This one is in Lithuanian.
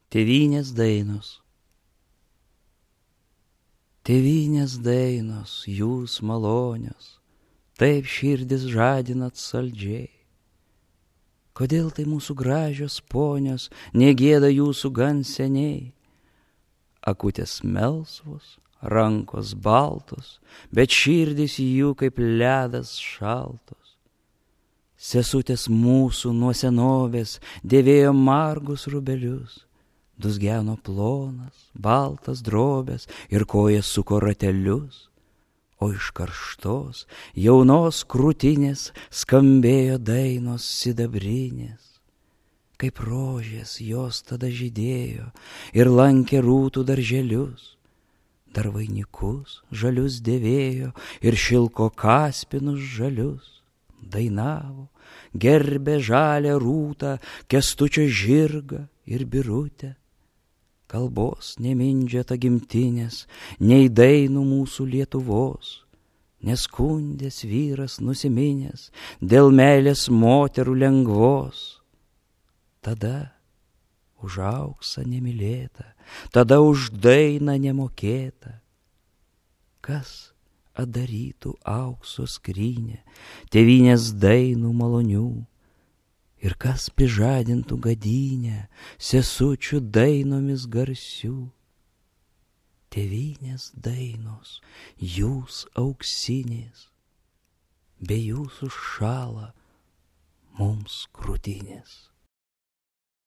Tėvynės dainos. Tėvynės dainos, jūs malonios, taip širdis žadinat saldžiai. Kodėl tai mūsų gražios ponios negėda jūsų gan seniai? Akutės melsvos, rankos baltos, bet širdis jų kaip ledas šaltos. Sesutės mūsų nuo senovės dėvėjo margus rubelius, dusgeno plonas, baltas drobės ir kojas suko ratelius, o iš karštos, jaunos krūtinės skambėjo dainos sidabrinės. Kaip rožės jos tada žydėjo ir lankė rūtų darželius, dar vainikus žalius dėvėjo ir šilko kaspinus žalius. Dainavo, gerbė žalią rūtą, Kęstučio žirgą ir birutę. Kalbos nemindžiata gimtinės, nei dainų mūsų Lietuvos, neskundės vyras nusiminęs dėl meilės moterų lengvos. Tada už auksą nemylėta, tada už dainą nemokėta. Kas atdarytų aukso skrynę, tėvynės dainų malonių, ir kas prižadintų gadynę sesučių dainomis garsių. Tėvynės dainos, jūs auksinės, be jūsų šąla mums krūtinės.